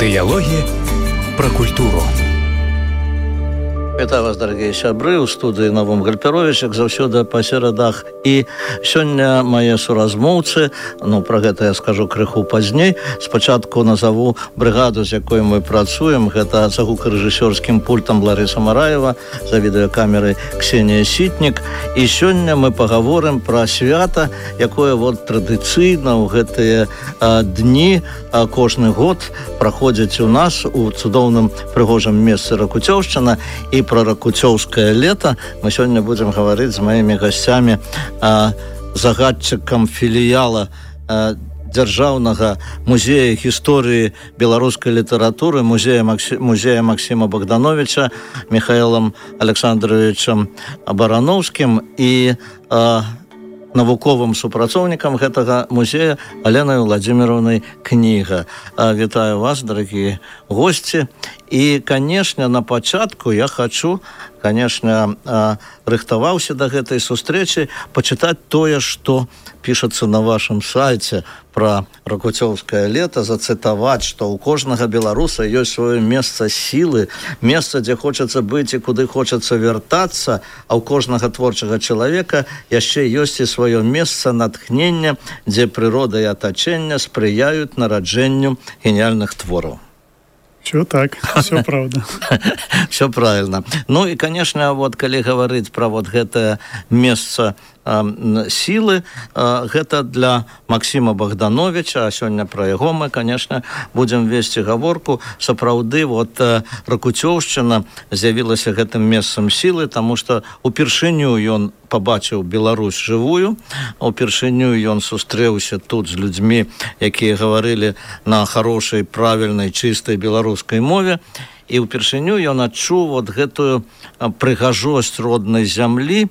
Дыялогі пра культуру. Вітаю вас, дарагія сябры, у студыі Навум Гальперович, як заўсёды па серадах. І сёння мае суразмоўцы, пра гэта я скажу крыху пазней. Спачатку назову брыгаду, з якой мы працуем. Гэта за гукарэжысёрскім пультам Ларыса Мараева, за відэакамерай Ксенія Сітнік. І сёння мы пагаворым пра свята, якое традыцыйна ў гэтыя дні кожны год праходзіць у нас у цудоўным прыгожым месцы Ракуцёўшчына. І про ракуцёўскае лета мы сёння будзем гаварыць з маімі гасцямі, загадчыкам філіяла дзяржаўнага музея гісторыі беларускай літаратуры, музея Максіма Богдановича, Михаилом Александровичем Барановскім і навуковым супрацоўнікам гэтага музея Аленай Владимировнай Кніга. Вітаю вас, дарагія госці. І, канешне, на пачатку я хочу, рыхтаваўся да гэтай сустрэчы, пачытаць тое, што пішацца на вашым сайце пра ракуцёўскае лета, зацытаваць, што ў кожнага беларуса ёсць сваё месца сілы, месца, дзе хочацца быць і куды хочацца вяртацца, а ў кожнага творчага чалавека яшчэ ёсць і сваё месца натхнення, дзе прырода і атачэнне спрыяюць нараджэнню геніяльных твораў. Все так, все правда. Все правильно. Ну и, конечно, калі гаварыць пра гэтае месца сілы, гэта для Максіма Богдановича, а сёння пра яго мы, конечно, будзем весці гаворку. Сапраўды, Ракуцёўшчына з'явілася гэтым месцам сілы, таму што упершыню ён пабачыў Беларусь жывую, упершыню ён сустрэўся тут з людзьмі, якія гаварылі на хорошай, правільнай, чыстай беларускай мове, і ўпершыню ён адчуў гэтую прыгажосць роднай зямлі,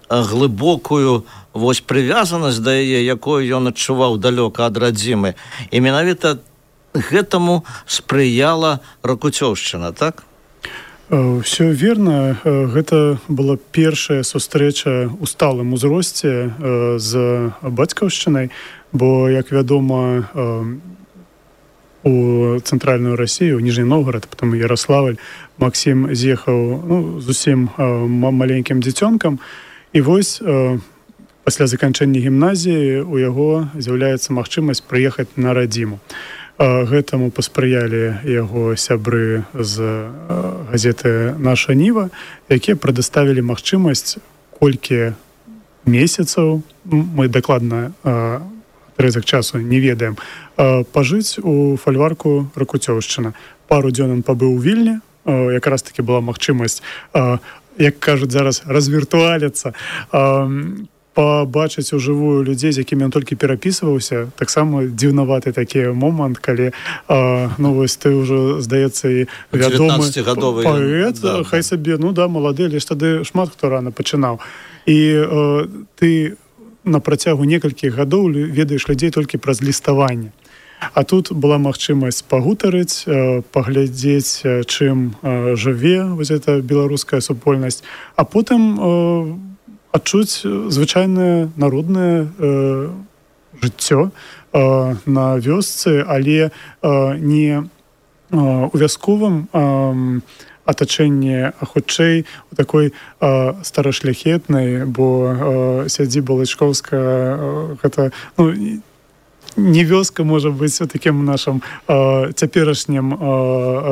глыбокую прывязанасць да яе, якую ён адчуваў далёка ад радзімы. І менавіта гэтаму спрыяла Ракуцёўшчына, так? Все верно. Гэта была першая сустрэча ў сталым узросце з бацькаўшчынай, бо, як вядома, у цэнтральную Расію, у Ніжні Новгарад, потом Ярославль, Максім з'ехаў зусім маленькім дзіцёнкам. І пасля заканчэння гімназіі у яго з'яўляецца магчымасць прыехаць на радзіму. Гэтаму паспрыялі яго сябры з газеты «Наша Ніва», якія прадаставілі магчымасць колькі месяцаў, мы дакладна атрызак часу не ведаем, пажыць у фальварку Ракуцёўшчына. Пару дзён ён пабыў у Вільні, якраз таки была магчымасць, як кажуць зараз, развіртуаліцца, пабачыць ужывую людзей, з якімі ён толькі перапісваўся. Таксама дзіўнаваты такі момант, калі ты ўжо, здаецца, і вядомы паэт, хай сабе, малады, але ж тады шмат хто рана пачынаў. І ты на працягу некалькіх гадоў ведаеш людзей толькі праз ліставанне. А тут была магчымасць пагутарыць, паглядзець, чым жыве гэта беларуская супольнасць, а потым адчуць звычайнае народнае жыццё на вёсцы, але не у вясковым атачэнні, а хутчэй у такой старашляхетнай, бо сядзіба Лычкоўская, гэта, не вёска, можа быць, у такім нашым цяперашнім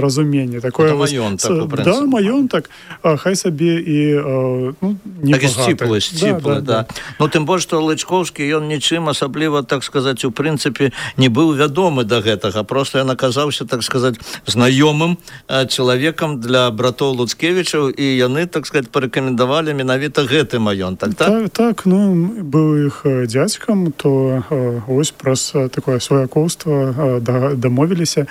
разуменні. Это маёнтак, у прынцыпе. Да, маёнтак, хай сабе і не багаты. Сціплы, да. Тым больш, што Лычкоўскі, ён нічым асабліва, так сказаць, у прынцыпе, не быў вядомы да гэтага. Проста ён аказаўся, так сказаць, знаёмым чалавекам для братоў Луцкевічаў, і яны, так сказаць, парэкамендавалі менавіта гэты маёнтак, так? Так, быў іх дзядзькам, то праз такое сваякоўства дамовіліся,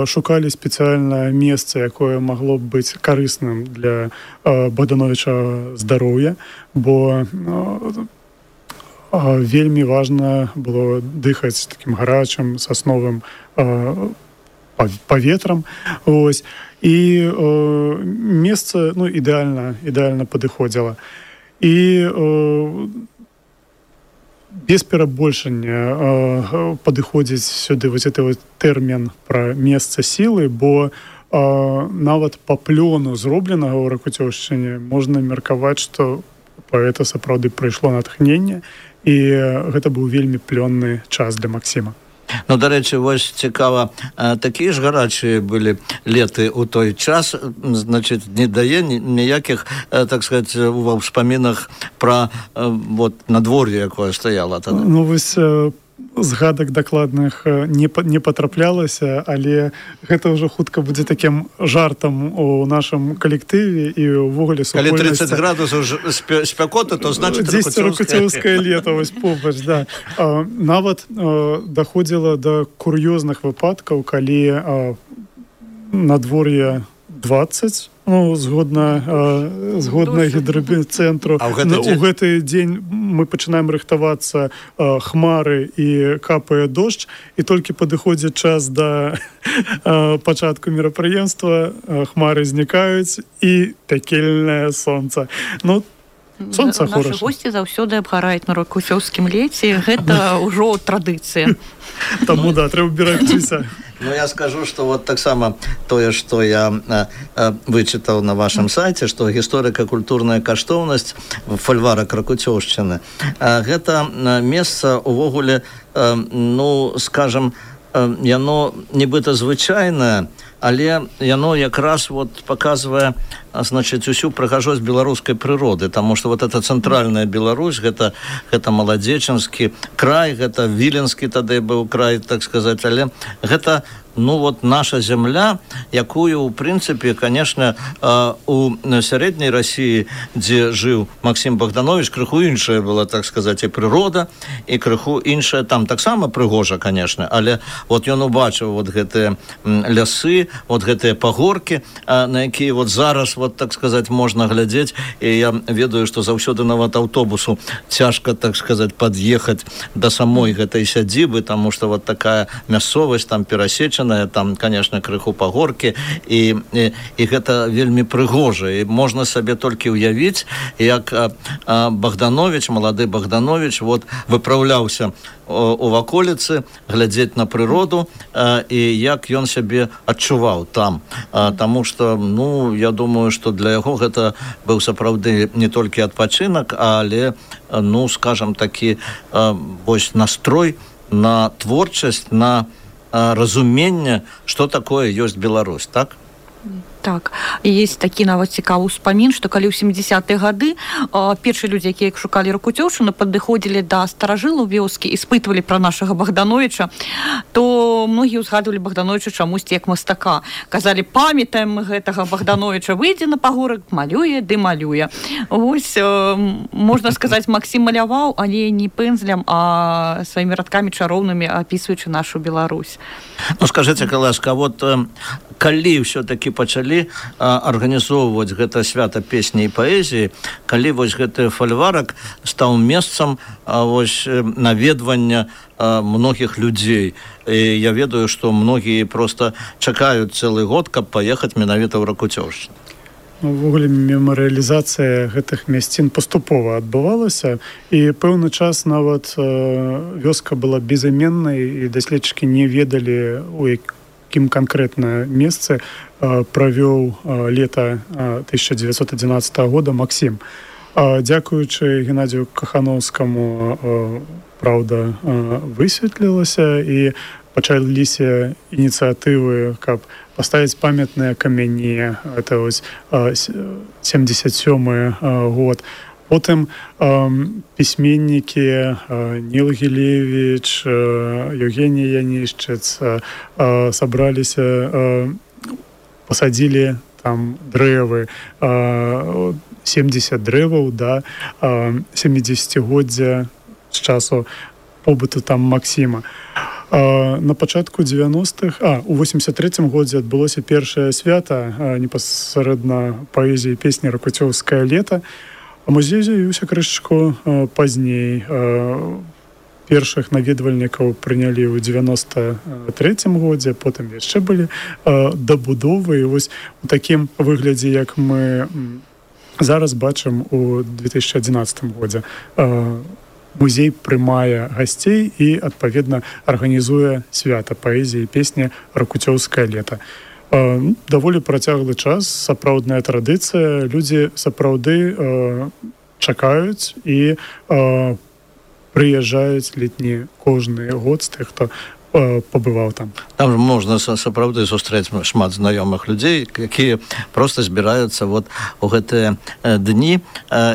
шукалі спецыяльнае месца, якое магло б быць карысным для Богдановича здароўя, бо вельмі важна было дыхаць такім гарачым сасновым паветрам. І месца ідэальна падыходзіла. І без перабольшання падыходзіць сюды вось гэты вот тэрмін пра месца сілы, бо нават па плёну зробленага ў Ракуцёўшчыне можна меркаваць, што паэта сапраўды прыйшло натхненне, і гэта быў вельмі плённы час для Максіма. Ну, дарэчы, вось цікава, такія ж гарачыя былі леты ў той час, значыць, не дае ніякіх, так сказаць, ва ўспамінах пра вот надвор'е, якое стаяла тады. Ну, вось згадак дакладных не патраплялася, але гэта ўжо хутка будзе такім жартам у нашым калектыве і ўвогуле супольнасці. Калі 30 градусаў спякоты, то значыць Ракуцёўскае лета, вось побач, да. Нават даходзіла да кур'ёзных выпадкаў, калі надвор'е 20, ну, згодна гідробіцэнтру. У гэты дзень мы пачынаем рыхтавацца, хмары і капае дождж, і толькі падыходзіць час да пачатку мерапрыемства, хмары знікаюць і пякельнае сонца. Ну, сонца хороша. Нашы госці заўсёды абгараюць на Ракуцёўскім леце, гэта ўжо традыцыя. Таму, да, трэба берагчыся. Ну, я скажу, что вот так само тое, что я вычытаў на вашем сайце, что гісторыка-культурная каштоўнасць фальварак Ракуцёўшчыны, гэта месца увогуле, ну, скажем, яно нібыта звычайнае, але яно якраз вот показывае, значит, усю прыгажосць беларускай прыроды, таму што вот эта цэнтральная Беларусь, гэта маладзечанскі край, гэта віленскі тады быў край, так сказаць, але гэта, ну, вот наша зямля, якую, у прынцыпе, конечно, у сярэдняй России, дзе жыў Максім Богданович, крыху іншая была, так сказаць, і прырода, і крыху іншая, там таксама прыгожа, конечно, але вот ён убачыў вот гэтыя лясы, вот гэтыя пагоркі, на якія вот зараз, вот, так сказаць, можна глядзець, і я ведаю, што заўсёды нават аўтобусу цяжка, так сказаць, пад'ехаць да самой гэтай сядзібы, таму што вот такая мясцовасць там перасечаная, там, конечно, крыху пагоркі, і гэта вельмі прыгожа, і можна сабе толькі ўявіць, як Богданович, малады Богданович, вот, выпраўляўся у ваколіцы, глядзець на прыроду, і як ён сябе адчуваў там. Таму што, ну, я думаю, што для яго гэта быў сапраўды не толькі адпачынак, але, ну, скажам, такі вось настрой на творчасць, на разуменне, што такое ёсць Беларусь, так? Так, і есть такі нават цікавы ўспамін, што калі ў 70-е гады першыя людзі, якія шукалі Ракуцёўшчыну, падыходзілі да старажылаў вёскі і спытвалі пра нашага Богдановича, то многія ўзгадвалі Богдановича чамусьці як мастака. Казалі, памятаем мы гэтага Богдановича, выйдзе на пагорак, малюе ды малюе. Вось, можна сказаць, Максім маляваў, але не пэнзлем, а сваімі радкамі чароўнымі апісваючы нашу Беларусь. Ну, скажыце, каласка, вот калі ўсё-такі пачалі арганізоўваць гэта свята песні і паэзіі, калі вось гэты фальварак стаў месцам вось наведвання многіх людзей. І я ведаю, што многія проста чакаюць цэлы год, каб паехаць менавіта ў Ракуцёўшчыну. Увогуле мемарыялізацыя гэтых мясцін паступова адбывалася, і пэўны час нават вёска была безыменнай, і даследчыкі не ведалі, у якім канкрэтна месцы правёў лета 1911 года Максім. Дзякуючы Геннадзію Кахановскаму, праўда, высветлілася, і пачаліся ініцыятывы, каб паставіць памятныя камяні. Это вось 77-й год. Потым пісьменнікі Ніл Гілевіч, Евгеній Янішчыц сабраліся, пасадзілі там дрэвы, 70 дрэваў, да, 70-годдзя з часу побыту там Максіма. На пачатку 90-х, у 83-м годзе адбылося першае свята непасрэдна паэзіі песні «Ракуцёўскае лета», а музей з'явіўся крышачку пазней. Першых наведвальнікаў прынялі ў 93-м годзе, потым яшчэ былі дабудовы, і вось у такім выглядзе, як мы зараз бачым у 2011 годзе. музей прымае гасцей і, адпаведна, арганізуе свята паэзіі і песні «Ракуцёўскае лета». Даволі працяглы час, сапраўдная традыцыя, людзі сапраўды чакаюць і прыязджаюць летні кожны год з тых, хто пабываў там. Там можна сапраўды сустрэць шмат знаёмых людзей, якія проста збіраюцца вот у гэтыя дні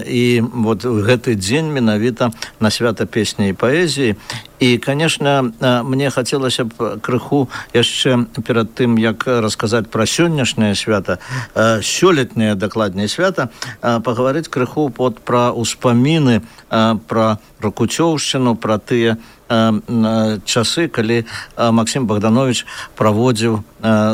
і вот гэты дзень менавіта на свята песні і паэзіі. І, конечно, мне хацелася б крыху яшчэ перад тым, як расказаць пра сённяшняе свята, сёлетняе дакладней свята, пагаварыць крыху пра ўспаміны, пра Ракуцёўшчыну, пра тыя часы, калі Максім Богданович праводзіў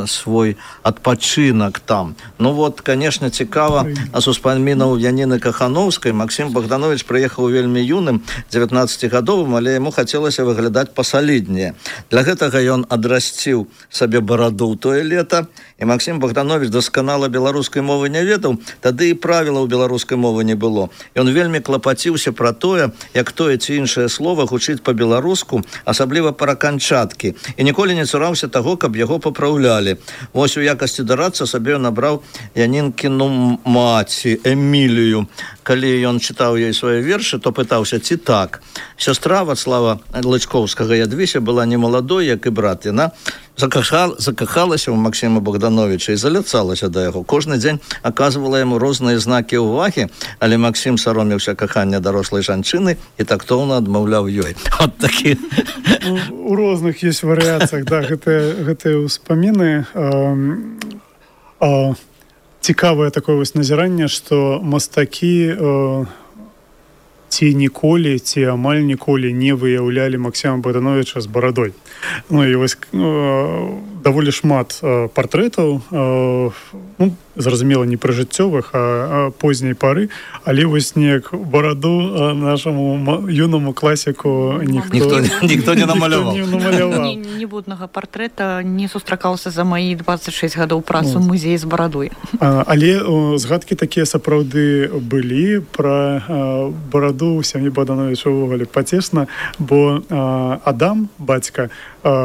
свой адпачынак там. Ну вот, конечно, цікава, з успамінаў Яніны Кахановскай. Максім Богданович прыехаў вельмі юным, 19-гадовым, але яму хацелася выглядаць пасаліднее. Для гэтага ён адрасціў сабе бараду ў тое лета, і Максім Богданович дасканала беларускай мовы не ведаў, тады і правілаў беларускай мовы не было. Ён вельмі клапаціўся пра тое, як тое ці іншае слова гучыць па-беларуску, асабліва пра канчаткі, і ніколі не цураўся таго, каб яго папраўлялі. Вось у якасці дарадца сабе набраў Янінкіну маці Эмілію. Калі ён чытаў ёй свае вершы, то пытаўся, ці так. Сястра Вацлава Лычкоўскага Ядвіся была не маладой, як і брат. Яна закахалася ў Максіма Богдановича і заляцалася да яго. Кожны дзень аказвала яму розныя знакі ўвагі, але Максім саромеўся кахання дарослай жанчыны і тактоўна адмаўляў ёй. Вот такі. У розных ёсць варыяцыях, да, гэтыя ўспаміны. Цікавае такое вось назіранне, што мастакі ці ніколі, ці амаль ніколі не выяўлялі Максіма Богдановича з барадой. Ну і вось даволі шмат партрэтаў, зразумела, не прыжыццёвых, а позняй пары, але вось неяк бараду нашаму юнаму класіку ніхто не намаляваў. Ніводнага партрэта не сустракаўся за маі 26 гадоў працу ў музеі з барадой. Але згадкі такія сапраўды былі пра бараду ў сям'і Богдановича ўвогуле пацешна, бо Адам, бацька,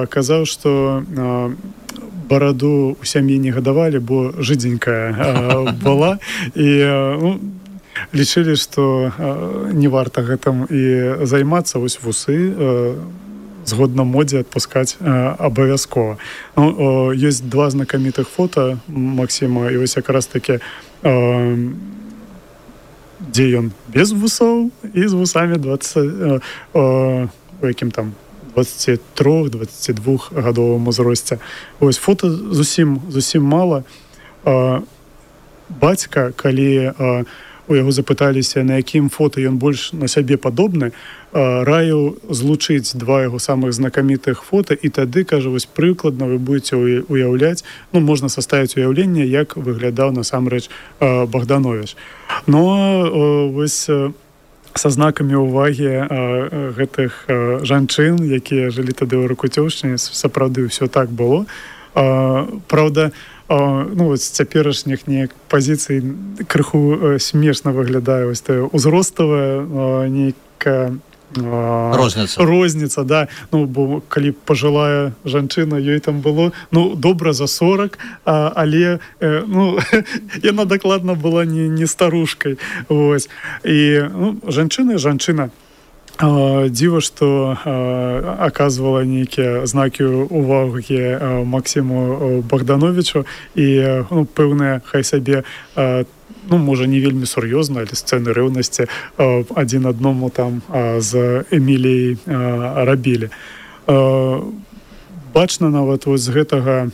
казаў, што бараду ў сям'і не гадавалі, бо жыдзенькая была, і лічылі, што не варта гэтым і займацца. Вось вусы згодна модзе адпускаць абавязкова. Ёсць два знакамітых фота Максіма, і вось якраз такі, дзе ён без вусоў і з вусамі 20, у якім там 23-22 гадовым узросце. Ось фото зусім мала. Бацька, калі у яго запыталіся, на якім фото ён больш на сябе падобны, раіў злучыць два яго самых знакамітых фото, і тады, кажа, вось прыкладна вы будете уяўляць, можна саставіць уяўленне, як выглядаў насамрэч Богданович. Но вось са знакамі ўвагі гэтых жанчын, якія жылі тады ў Ракуцёўшчыне, сапраўды ўсё так было. Праўда, з цяперашніх неяк пазіцый крыху смешна выглядае вось тая ўзроставая нейкая розніца, да. Бо калі пажылая жанчына, ёй там было добра за 40, але яна дакладна была не старушкай. І жанчына дзіва, што аказвала нейкія знакі ўвагі Максіму Богдановичу, і пэўныя, хай сабе, можа, не вельмі сур'ёзна, але сцэны рэўнасці адзін адному там з Эміліяй рабілі. Бачна нават з гэтага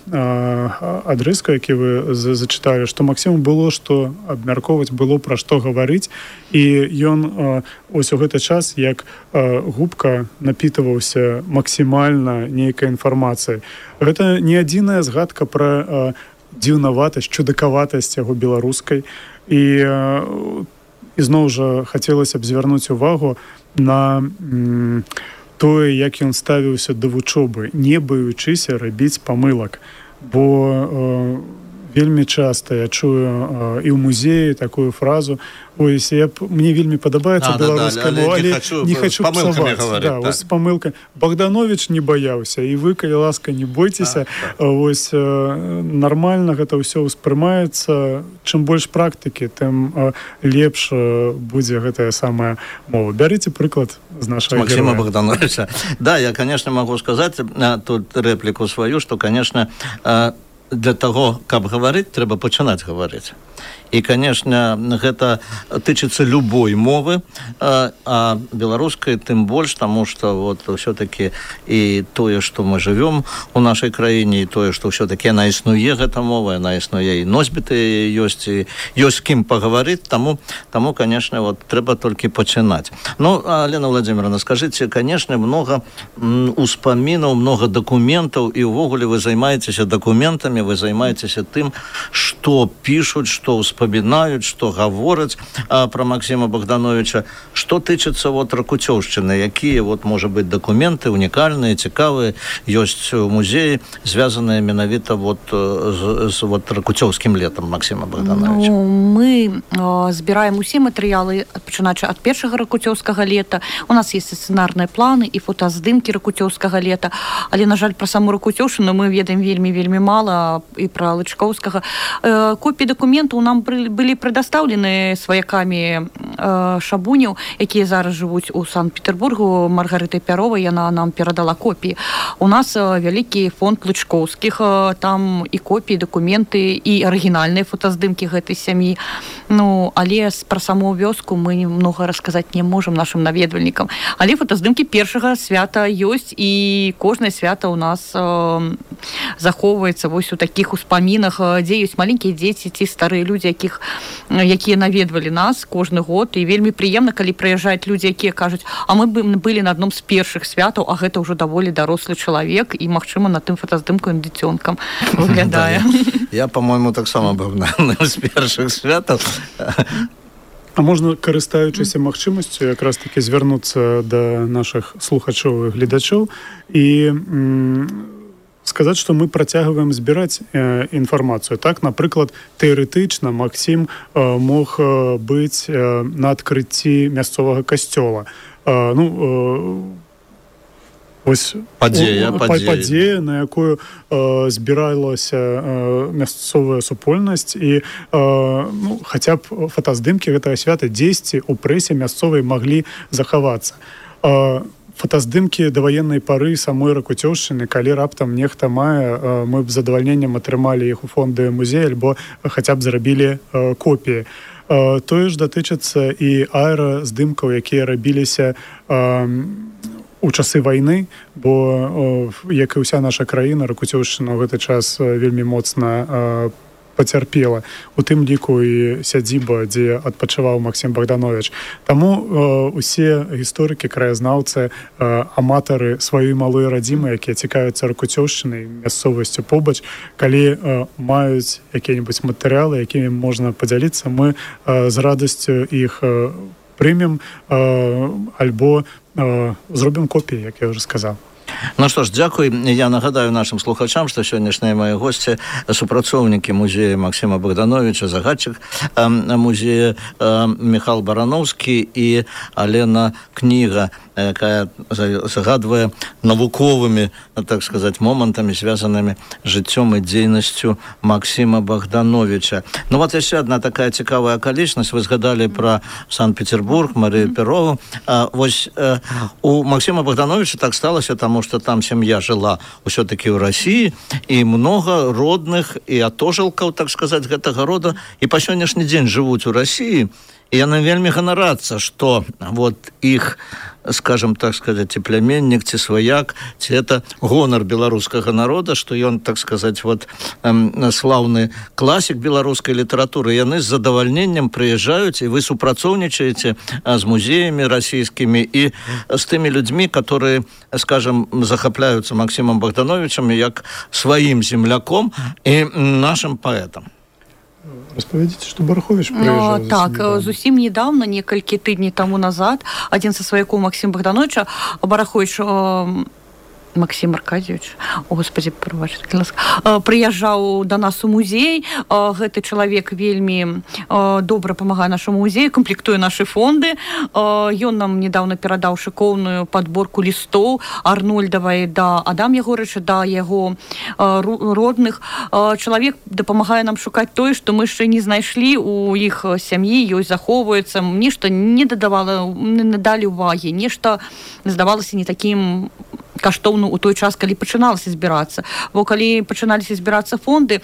адрыска, які вы зачыталі, што Максіму было што абмяркоўваць, было пра што гаварыць, і ён ось у гэты час, як губка, напітаваўся максімальна нейкай інфармацыяй. Гэта не адзіная згадка пра дзіўнаватасць, чудакаватасць яго беларускай, і зноў жа хацелася б звярнуць увагу на тое, як ён ставіўся да вучобы, не баючыся рабіць памылак, бо вельмі часта я чую і ў музеі такую фразу: ось, мне вельмі падабаецца беларуская мова, але не хочу псаваць. Да, так. Ось памылка. Богданович не баяўся, і вы, калі ласка, не бойцеся. Ось нармальна гэта ўсё ўспрымаецца. Чым больш практыкі, тым лепш будзе гэтая самая мова. Бярыце прыклад з нашага Максима Богдановича. Да, я, конечно, могу сказать тут реплику свою, что, конечно, для того, каб гаварыць, трэба пачынаць гаварыць. І, конечно, гэта тычыцца любой мовы, а беларускай тым больш, таму што вот ўсё-таки і тое, што мы жывём у нашай краіне, і тое, што ўсё-таки яна існуе, гэта мова, яна існуе, і носьбіты ёсць, і ёсць з кім пагаварыць, таму, конечно, вот трэба толькі пачынаць. Ну, Лена Владимировна, скажыце, конечно, много успамінаў, много дакументаў, і ўвогуле вы займаецеся дакументамі, вы займаецеся тым, што пішуць, што вспоминают, что говорят про Максима Богдановича. Что тычыцца вот Ракуцёўшчыны, якія вот, может быть, документы уникальные, цікавые, есть в музее, связанные менавіта вот с вот Ракуцёўскім летом Максима Богдановича? Ну, мы збираем усе матэрыялы, пачынаючы ад першага Ракуцёўскага лета. У нас есть сцэнарныя планы і фотаздымкі Ракуцёўскага лета, але, на жаль, про саму Ракуцёўшчыну мы ведаем вельмі мала, і про Лычкоўскага. Копіі дакументаў нам былі прадастаўлены сваякамі шабуняў, якія зараз жывуць у Санкт-Петербургу. Маргарыта Пяровай, яна нам перадала копіі. У нас вялікі фонд Лычкоўскіх, там і копіі, дакументы, і арыгінальныя фотаздымкі гэтай сям'і. Ну, але пра саму вёску мы многа расказаць не можам нашым наведвальнікам. Але фотаздымкі першага свята ёсць, і кожнае свята ў нас захоўваецца вось у такіх успамінах, дзе ёсць маленькія дзеці ці старыя людзі, якія наведвалі нас кожны год. І вельмі прыемна, калі прыязджаюць людзі, якія кажуць: а мы былі на адном з першых святаў, а гэта ўжо даволі дарослы чалавек, і, магчыма, на тым фотаздымку ён дзіцёнкам выглядае. Я, по-моему, таксама быў на з першых святаў. А можна, карыстаючыся магчымасцю, якраз таки звярнуцца да нашых слухачоў і гледачоў і сказаць, што мы працягваем збіраць інфармацыю. Так, напрыклад, тэарэтычна Максім мог быць на адкрыцці мясцовага касцёла. Ось падзея, на якую збіралася мясцовая супольнасць, і хаця б фотаздымкі гэтага свята дзесьці ў прэсе мясцовай маглі захавацца. Фотаздымкі даваеннай пары самой Ракуцёўшчыны, калі раптам нехта мае, мы б з задавальненнем атрымалі іх у фонды музея, альбо хаця б зрабілі копіі. Тое ж датычыцца і аэраздымкаў, якія рабіліся у часы вайны, бо, як і ўся наша краіна, Ракуцёўшчына ў гэты час вельмі моцна пацярпела, у тым ліку і сядзіба, дзе адпачываў Максім Богданович. Таму усе гісторыкі, краязнаўцы, аматары сваёй малой радзімы, якія цікавяцца Ракуцёўшчынай, мясцовасцю побач, калі маюць якія-небудзь матэрыялы, якімі можна падзяліцца, мы з радасцю іх прымем альбо зробім копіі, як я ўжо сказаў. Ну што ж, дзякуй. Я нагадаю нашим слухачам, што сённяшнія мои госці супрацоўнікі музея Максима Богдановича, загадчык музея Михаил Барановскі і Алена Кніга, якая загадвае навуковымі, так сказать, момантамі, звязанымі жыццём і дзейнасцю Максима Богдановича. Ну вот яшчэ одна такая цікавая акалічнасць. Вы згадалі про Санкт-Петербург, Марию Перову. Вось у Максима Богдановича так сталася, таму что там семья жила все-таки в России, и много родных и атожылкаў, так сказать, гэтага рода, и по сённяшні дзень живут у России, и яны вельмі ганарацца, что вот их, скажем так сказать, ці племяннік, ці сваяк, ці это гонар беларускага народа, што ён, так сказать, вот слаўны класік беларускай літаратуры. Яны з задавальненнем прыязджаюць, і вы супрацоўнічаеце з музеямі расійскімі і з тымі людзьмі, которые, скажем, захапляюцца Максимом Богдановичем як сваім земляком і нашим паэтам. Распавядзіце, што Барахович прыязджаў. Так, зусім недавно, некалькі тыдней таму назад, адзін са сваякоў Максима Богдановича, Барахович Максим Аркадьевич, о, господи, прыязджаў да нас у музей. Гэты чалавек вельмі добра памагае нашаму музею, камплектуе нашы фонды. Ён нам недавно перадаў шыкоўную падборку лістоў Арнольдавай да Адам Ягорыча, да яго родных. Чалавек дапамагае нам шукаць тое, што мы яшчэ не знайшлі у іх сям'і, ёсць захоўваецца, нешта не надалі ўвагі, нешта здавалася не такім каштоўна ў той час, калі пачыналася збірацца. Бо калі пачыналіся збірацца фонды,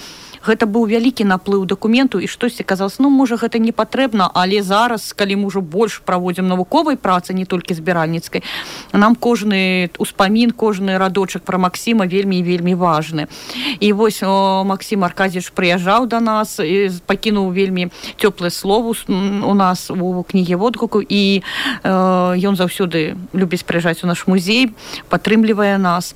гэта быў вялікі наплыў дакументу, і штосьці казалось, можа, гэта не патрэбна, але зараз, калі мы ўжо больш праводзім навуковай працы, не толькі збіральніцкай, нам кожны успамін, кожны радочак пра Максіма вельмі і вельмі важны. І вось Максим Аркадьевич прыязджаў да нас, пакінуў вельмі цёплае слово у нас у кнізе водгуку, і ён заўсёды любіць прыязджаць у наш музей, падтрымлівае нас.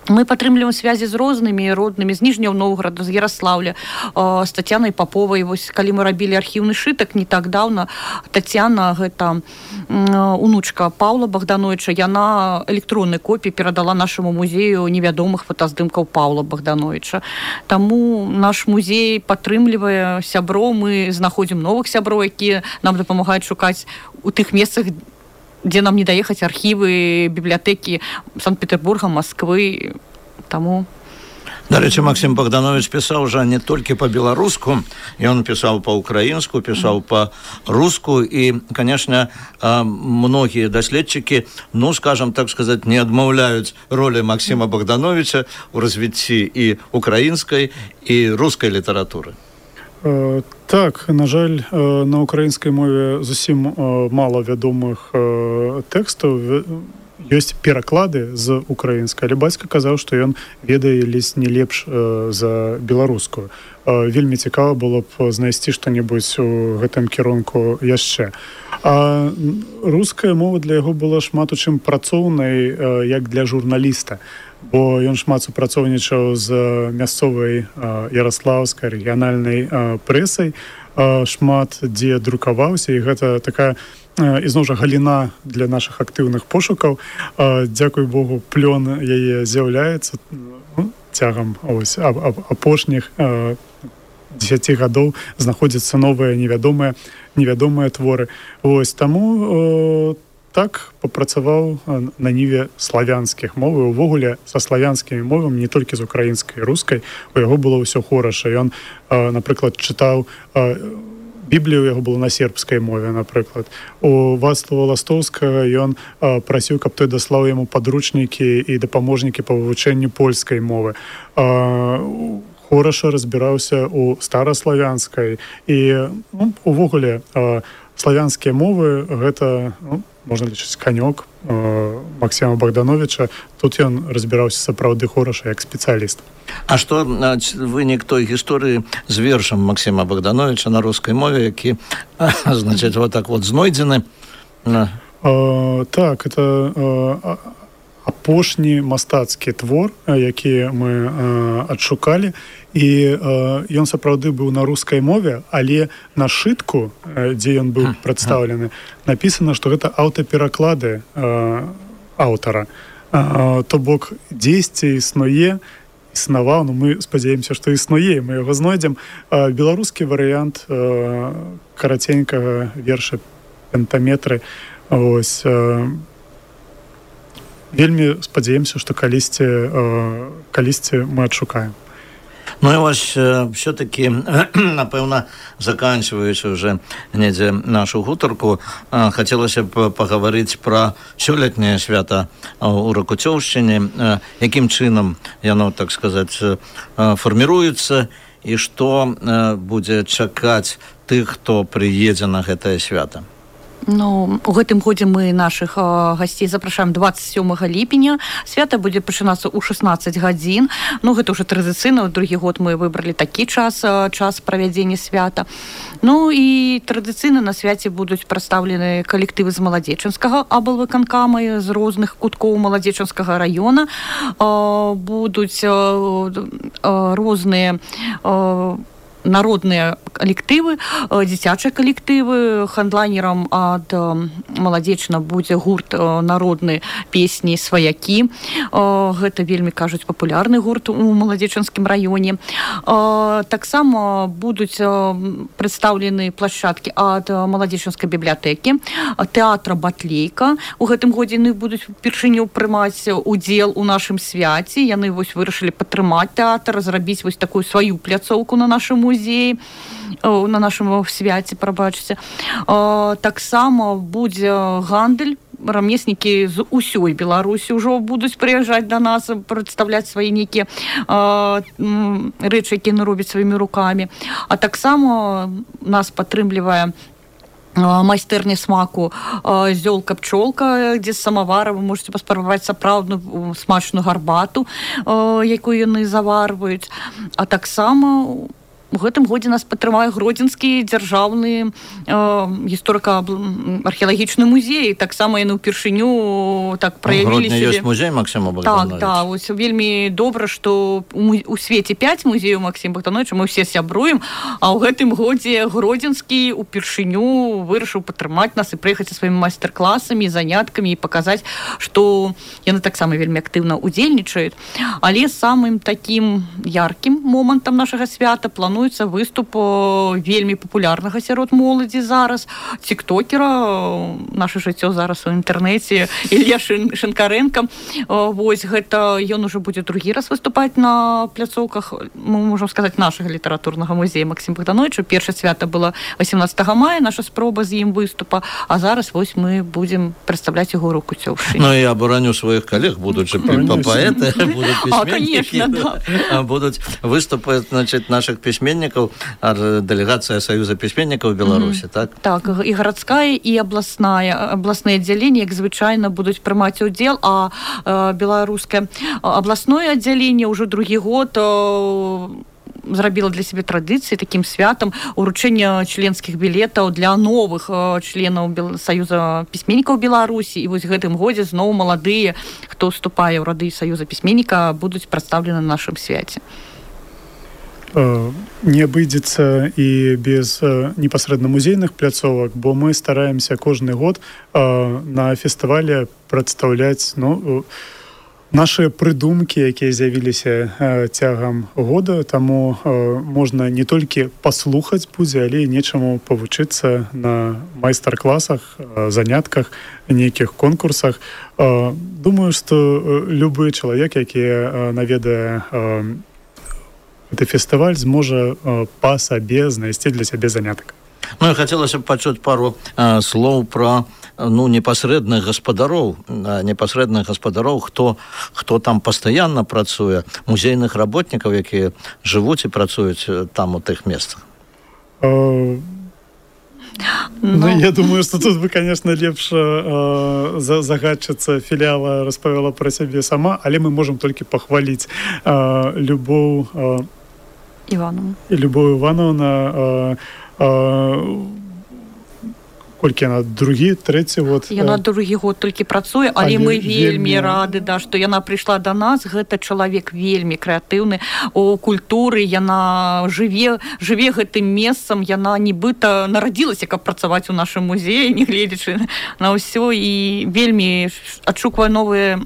Мы падтрымліваем связі з рознымі роднымі, з Ніжняў Новграда, з Ярослаўля, з Тацянай Паповай. Вось, калі мы рабілі архіўны шытак не так даўна, Тацяна, гэта унучка Паўла Богдановича, яна электроннай копіі перадала нашаму музею невядомых фотаздымкаў Паўла Богдановича. Таму наш музей падтрымлівае сяброў, мы знаходзім новых сяброў, якія нам дапамагаюць шукаць у тых месцах, дзе нам не даехаць архівы, бібліятэкі Санкт-Петербурга, Москвы. Таму... Дарэчы, Максим Богданович пісаў жа не толькі па-беларуску, ён пісаў па-украінску, пісаў па-руску, і, канешне, многія даследчыкі, скажам так сказаць, не адмаўляюць ролі Максима Богдановича ў развіцці і украінскай, і рускай літаратуры. Так, на жаль, на украінскай мове зусім мала вядомых тэкстаў. Ёсць пераклады з украінскай, але бацька казаў, што ён ведае ледзь не лепш за беларускую. Вельмі цікава было б знайсці што-небудзь у гэтым кірунку яшчэ. А руская мова для яго была шмат у чым працоўнай, як для журналіста. Бо ён шмат супрацоўнічаў з мясцовай ярослаўскай рэгіянальнай прэсай, шмат дзе друкаваўся, і гэта такая ізноў жа галіна для нашых актыўных пошукаў. Дзякуй Богу, плён яе з'яўляецца цягам апошніх 10 гадоў знаходзяцца новыя невядомыя творы. Вось таму так папрацаваў на ніве славянскіх моў, і увогуле са славянскімі мовамі, не толькі з украінскай і рускай, у яго было ўсё хораша. Ён, напрыклад, чытаў Біблію, у яго было на сербскай мове, напрыклад. У Вацлава Ластоўскага ён прасіў, каб той даслаў яму падручнікі і дапаможнікі па вывучэнню польскай мовы. Хораша разбіраўся у стараславянскай, і увогуле славянскія мовы гэта... можна лічыць канёк Максима Богдановича. Тут ён разбіраўся сапраўды хораша як спецыяліст. А што вынік той гісторыі з вершам Максима Богдановича на рускай мове, які, значыць, вот так вот знойдзены? Так, это апошні мастацкі твор, які мы адшукалі, і ён сапраўды быў на рускай мове, але на шытку, дзе ён быў прадстаўлены, напісана, што гэта аўтапераклады аўтара. То бок, дзесьці існаваў, мы спадзяемся, што існуе, мы яго знойдзем. Беларускі варыянт караценькага верша пентаметры. Ось... Вельмі спадзяемся, што калісьці мы адшукаем. Ну і вось все-таки, напэўна, заканчиваючи уже недзе нашу гутарку, хацелася б пагаварыць пра сёлетняе свята ў Ракуцёўшчыне, якім чынам яно, так сказаць, фарміруецца, і што будзе чакаць тых, хто прыедзе на гэтае свята. Ну, у гэтым годзе мы нашых гасцей запрашаем 27 ліпеня. Свята будзе пачынацца ў 16 гадзін. Ну, гэта ўжо традыцыйна. Другі год мы выбралі такі час правядзення свята. Ну, і традыцыйна на свяце будуць прадстаўлены калектывы з Маладзечанскага аблвыканкама, з розных куткоў Маладзечанскага раёна. Будуць розныя народныя калектывы, дзіцячыя калектывы. Хандлайнерам ад Маладзечна будзе гурт народнай песні «Сваякі». Гэта вельмі, кажуць, папулярны гурт у Маладзечанскім раёне. Таксама будуць прадстаўлены плашчадкі ад Маладзечанскай бібліятэкі, тэатра «Батлейка». У гэтым годзе яны будуць упершыню прымаць удзел у нашым свяце. Яны вырашылі падтрымаць тэатр, зрабіць такую сваю пляцоўку на нашым музеі, на нашым свяце, прабачце. Таксама будзе гандаль. Рамеснікі з усёй Беларусі ўжо будуць прыязджаць да нас, прадстаўляць свае нейкія рэчы, якія яны робяць сваімі рукамі. А таксама нас падтрымлівае майстэрня смаку «Зёлка-пчолка», дзе з самавара вы можете паспрабаваць сапраўдную смачную гарбату, якую яны заварваюць. А таксама у гэтым годзе нас падтрымае Гродзенскі дзяржаўны гісторыка-археалагічны музей. Таксама яны ўпершыню так праявілі сябе. Ёсць музей Максима Богдановича. Так, вось вельмі добра, што у свеце 5 музеяў Максима Богдановича, мы ўсе сябруем, а ў гэтым годзе Гродзенскі ўпершыню вырашыў падтрымаць нас і прыехаць са сваімі майстар-класамі, заняткамі і паказаць, што яны таксама вельмі актыўна удзельнічаюць. Але самым такім яркім момантам нашага свята плануецца выступ вельмі папулярнага сярод моладзі зараз, тиктокера, наше жыццё зараз у інтэрнэце, Ілья Шинкаренко. Вось гэта ён ужо будзе другі раз выступаць на пляцоўках, мы можам сказаць, нашага літаратурнага музея Максима Богдановича. Першае свята было 18 мая, наша спроба з ім выступа, а зараз вось мы будзем прадстаўляць яго руку цёўшай. Ну, я абараню сваіх калег, будучы паэты, будуць пісьменнікі, будуць выступаць, значит, наших пісьменнікаў, дэлегацыя Саюза пісьменнікаў Беларусі, так? Так, і гарадская, і абласныя аддзяленні, як звычайна, будуць прымаць удзел, а беларускае абласное аддзяленне ўжо другі год зрабіла для сябе традыцыі такім святам уручэння членскіх білетаў для новых членаў Саюза пісьменнікаў Беларусі. І вось гэтым годзе зноў маладыя, хто вступае ў рады Саюза пісьменніка, будуць прадстаўлены на нашым свяце. Не абыдзецца і без непасрэдна музейных пляцовак, бо мы стараемся кожны год на фестывале прадстаўляць нашы прыдумкі, якія з'явіліся цягам года, таму можна не толькі паслухаць будзе, але і нечаму павучыцца на майстар-класах, занятках, нейкіх конкурсах. Думаю, што любы чалавек, які наведае гэты фестываль, зможа па сабе знайсці для сябе занятак. Ну, я хацелася б пачуць пару слоў пра непасрэдных гаспадароў, хто там пастаянна працуе, музейных работнікаў, якія жывуць і працуюць там у тых месцах. Я думаю, што тут бы, конечно, лепш загадчыца філіала распавяла пра сябе сама, але мы можам толькі пахваліць Любоў Івановна, колькі яна, другі, трэці год? Яна другі год толькі працуе, але мы вельмі рады, што яна прыйшла да нас. Гэта чалавек вельмі крэатыўны у культуры, яна жыве гэтым месцам, яна нібыта нарадзілася, каб працаваць у нашым музеі, не гледзячы на ўсё, і вельмі адшуквае новыя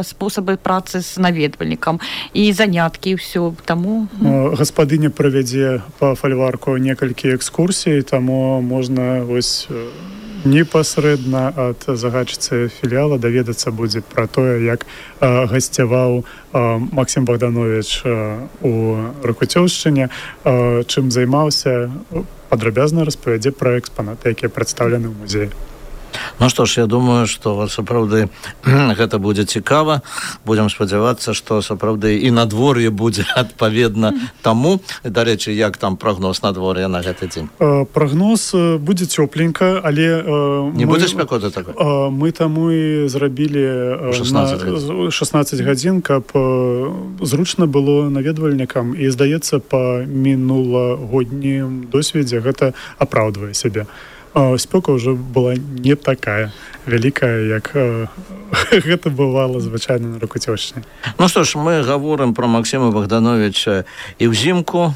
спосабы працы з наведвальнікам і заняткі, і ўсё. Таму гаспадыня правядзе па фальварку некалькі экскурсій, таму можна вось непасрэдна ад загадчыцы філіяла даведацца будзе пра тое, як гасцяваў Максим Богданович у Ракуцёўшчыне, чым займаўся, падрабязна распавядзе пра экспанаты, якія прадстаўлены ў музеі. Ну што ж, я думаю, што сапраўды гэта будзе цікава. Будзем спадзявацца, што сапраўды і надвор'е будзе адпаведна таму. Дарэчы, як там прагноз надвор'я на гэты дзень? Прагноз будзе цёпленька, але не будзе спякоты такой? Мы таму і зрабілі 16 гадзін, каб зручна было наведвальнікам, і, здаецца, па мінулагоднім досведзе гэта апраўдвае сябе. Спёка ўжо была не такая вялікая, як гэта бывала звычайна на Ракуцёўшчыне. Ну што ж, мы гаворым пра Максима Богдановича і ўзімку,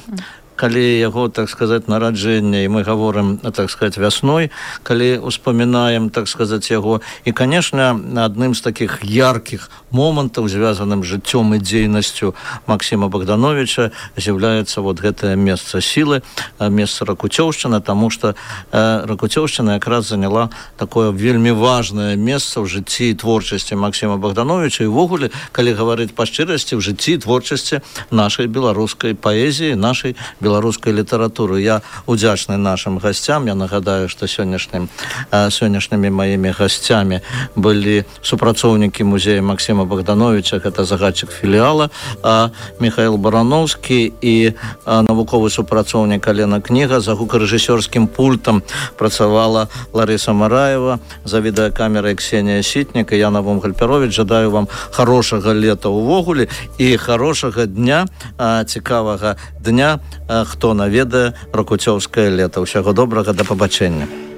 калі яго, так сказать, нараджэнне, і мы гаворым, так сказать, вясной, калі успамінаем, так сказать, яго. І, конечно, адным з таких яркіх момантаў, звязаным з жыццём і дзейнасцю Максима Богдановича, з'яўляецца вот гэтае месца сілы, месца Ракуцёўшчына, таму што Ракуцёўшчына якраз заняла такое вельмі важнае месца ў жыцці і творчасці Максима Богдановича, і ввогуле, калі гаварыць па шчырасці, в жыцці і творчасці нашай беларускай паэзіі, нашай беларускай літаратуры. Я удзячны нашим гасцям. Я нагадаю, што сённяшнімі маімі гасцямі былі супрацоўнікі музея Максима Богдановича, гэта загадчык філіала Михаил Барановскі і навуковы супрацоўнік Алена Кніга. За гукарэжысёрскім пультам працавала Ларыса Мараева, за відэакамерай Ксенія Сітнік і Яна Вомгаль-Пяровіч. Жадаю вам хорошага лета ўвогуле і хорошага дня, цікавага дня, хто наведае ракуцёўскае лета. Усяго добрага, да пабачэння.